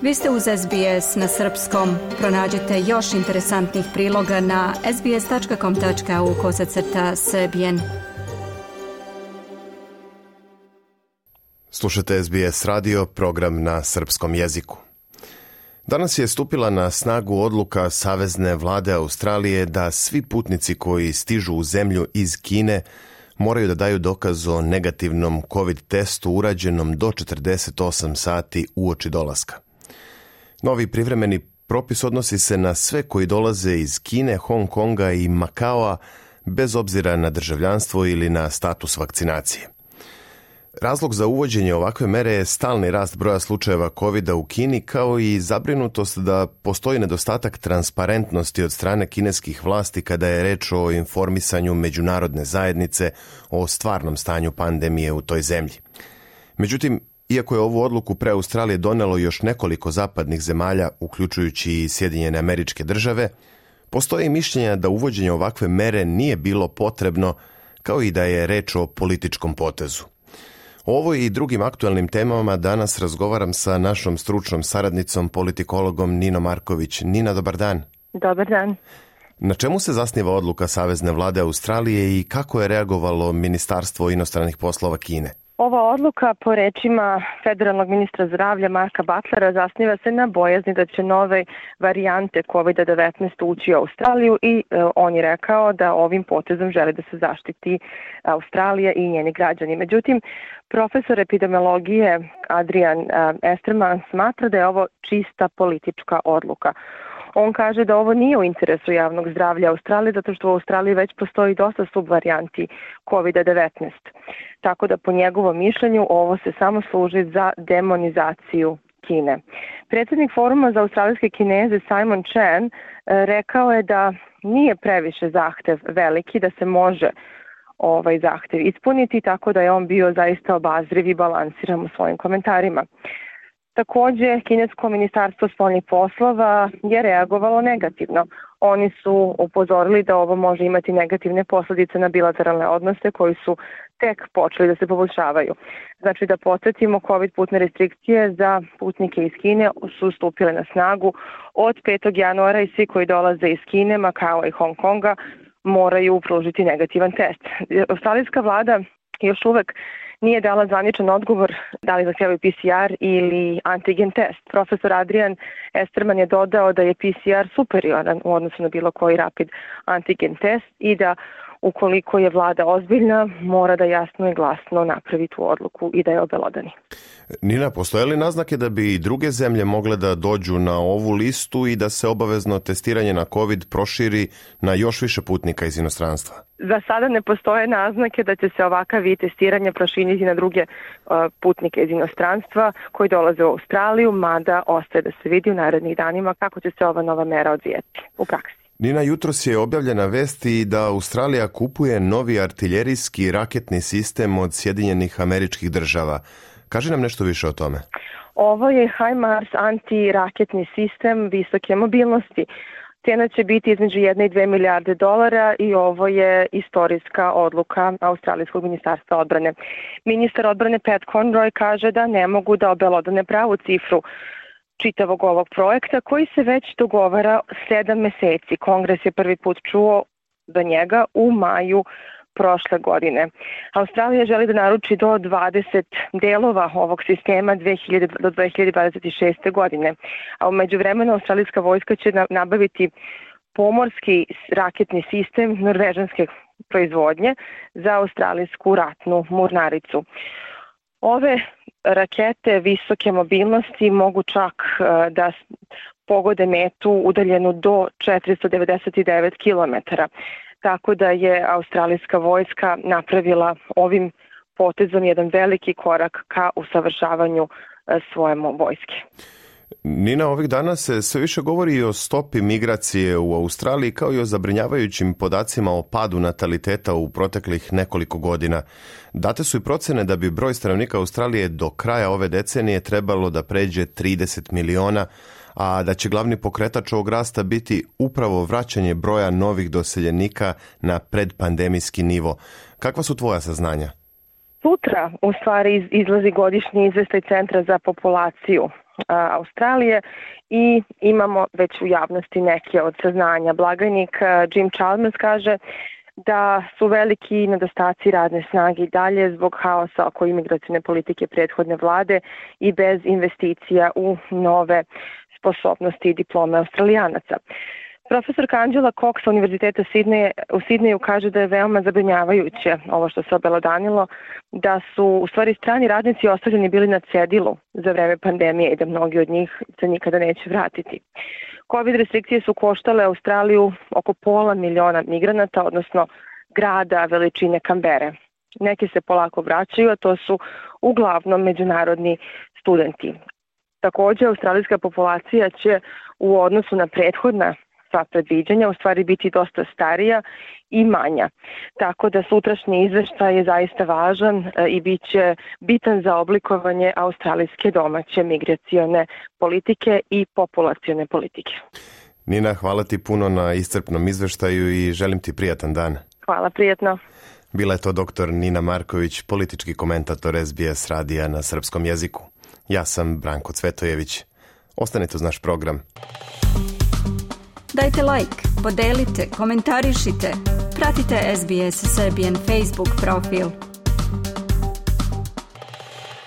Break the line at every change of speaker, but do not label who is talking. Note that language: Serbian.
Vi ste uz SBS na srpskom. Pronađite još interesantnih priloga na sbs.com.au/srbijen.
Slušate SBS radio, program na srpskom jeziku. Danas je stupila na snagu odluka Savezne vlade Australije da svi putnici koji stižu u zemlju iz Kine moraju da daju dokaz o negativnom COVID testu urađenom do 48 sati uoči dolaska. Novi privremeni propis odnosi se na sve koji dolaze iz Kine, Hong Konga i Makaoa bez obzira na državljanstvo ili na status vakcinacije. Razlog za uvođenje ovakve mere je stalni rast broja slučajeva COVID-a u Kini, kao i zabrinutost da postoji nedostatak transparentnosti od strane kineskih vlasti kada je reč o informisanju međunarodne zajednice o stvarnom stanju pandemije u toj zemlji. Međutim, iako je ovu odluku pre Australije donelo još nekoliko zapadnih zemalja, uključujući i Sjedinjene Američke Države, postoje mišljenja da uvođenje ovakve mere nije bilo potrebno, kao i da je reč o političkom potezu. O ovoj i drugim aktualnim temama danas razgovaram sa našom stručnom saradnicom, politikologom Ninom Marković. Nina, dobar dan.
Dobar dan.
Na čemu se zasniva odluka Savezne vlade Australije i kako je reagovalo Ministarstvo inostranih poslova Kine?
Ova odluka, po rečima federalnog ministra zdravlja Marka Butlera, zasniva se na bojazni da će nove varijante COVID-19 ući u Australiju i on je rekao da ovim potezom želi da se zaštiti Australija i njeni građani. Međutim, profesor epidemiologije Adrian Esterman smatra da je ovo čista politička odluka. On kaže da ovo nije u interesu javnog zdravlja Australije, zato što u Australiji već postoji dosta subvarijanti COVID-19. Tako da po njegovom mišljenju ovo se samo služi za demonizaciju Kine. Predsjednik Foruma za australijske Kineze Simon Chan rekao je da nije previše zahtev veliki, da se može ovaj zahtev ispuniti, tako da je on bio zaista obazriv i balansiran u svojim komentarima. Također, kinesko ministarstvo spoljnih poslova je reagovalo negativno. Oni su upozorili da ovo može imati negativne posljedice na bilateralne odnose koji su tek počeli da se poboljšavaju. Znači da podsjetimo, COVID putne restrikcije za putnike iz Kine su stupile na snagu od 5. januara i svi koji dolaze iz Kine, Makao i Hong Konga moraju pružiti negativan test. Australijska vlada još uvek nije dala zvaničan odgovor da li zahtijevaju PCR ili antigen test. Profesor Adrian Esterman je dodao da je PCR superioran u odnosu na bilo koji rapid antigen test i da ukoliko je vlada ozbiljna, mora da jasno i glasno napravi tu odluku i da je obelodani.
Nina, postoje li naznake da bi i druge zemlje mogle da dođu na ovu listu i da se obavezno testiranje na COVID proširi na još više putnika iz inostranstva?
Za sada ne postoje naznake da će se ovakav vid testiranja proširiti na druge putnike iz inostranstva koji dolaze u Australiju, mada ostaje da se vidi u narednih danima kako će se ova nova mera odvijeti u praksi.
Nina, jutros je objavljena vest i da Australija kupuje novi artiljerijski raketni sistem od Sjedinjenih Američkih Država. Kaži nam nešto više o tome.
Ovo je HIMARS antiraketni sistem visoke mobilnosti. Cena će biti između 1 i 2 milijarde dolara i ovo je istorijska odluka Australijskog ministarstva odbrane. Ministar odbrane Pat Conroy kaže da ne mogu da obelodane pravu cifru čitavog ovog projekta koji se već dogovara 7 meseci. Kongres je prvi put čuo do njega u maju prošle godine. Australija želi da naruči do 20 delova ovog sistema do 2026. godine. A u međuvremenu australijska vojska će nabaviti pomorski raketni sistem norvežanske proizvodnje za australijsku ratnu mornaricu. Ove rakete visoke mobilnosti mogu čak da pogode metu udaljenu do 499 km. Tako da je australijska vojska napravila ovim potezom jedan veliki korak ka usavršavanju svoje vojske.
Nina, ovih dana se sve više govori i o stopi migracije u Australiji kao i o zabrinjavajućim podacima o padu nataliteta u proteklih nekoliko godina. Date su i procene da bi broj stanovnika Australije do kraja ove decenije trebalo da pređe 30 miliona, a da će glavni pokretač ovog rasta biti upravo vraćanje broja novih doseljenika na predpandemijski nivo. Kakva su tvoja saznanja?
Sutra u stvari izlazi godišnji izveštaj Centra za populaciju Australije i imamo već u javnosti neke od saznanja. Blagajnik Jim Chalmers kaže da su veliki nedostaci radne snage i dalje zbog haosa oko imigracione politike prethodne vlade i bez investicija u nove sposobnosti i diplome Australijanaca. Profesorka Angela Cox sa Univerziteta u Sidneju kaže da je veoma zabrinjavajuće ovo što se obelodanilo, da su u stvari strani radnici ostavljeni bili na cedilu za vreme pandemije i da mnogi od njih se nikada neće vratiti. Covid restrikcije su koštale Australiju oko 500.000 migranata, odnosno grada veličine Kambere. Neki se polako vraćaju, a to su uglavnom međunarodni studenti. Također, australijska populacija će u odnosu na prethodna sva predviđanja u stvari biti dosta starija i manja. Tako da sutrašnji izveštaj je zaista važan i bit će bitan za oblikovanje australijske domaće migracione politike i populacione politike.
Nina, hvala ti puno na iscrpnom izveštaju i želim ti prijatan dan.
Hvala, prijatno.
Bila je to dr. Nina Marković, politički komentator SBS radija na srpskom jeziku. Ja sam Branko Cvetojević. Ostanite uz naš program.
Dajte like, podelite, komentarišite. Pratite SBS Serbian Facebook profil.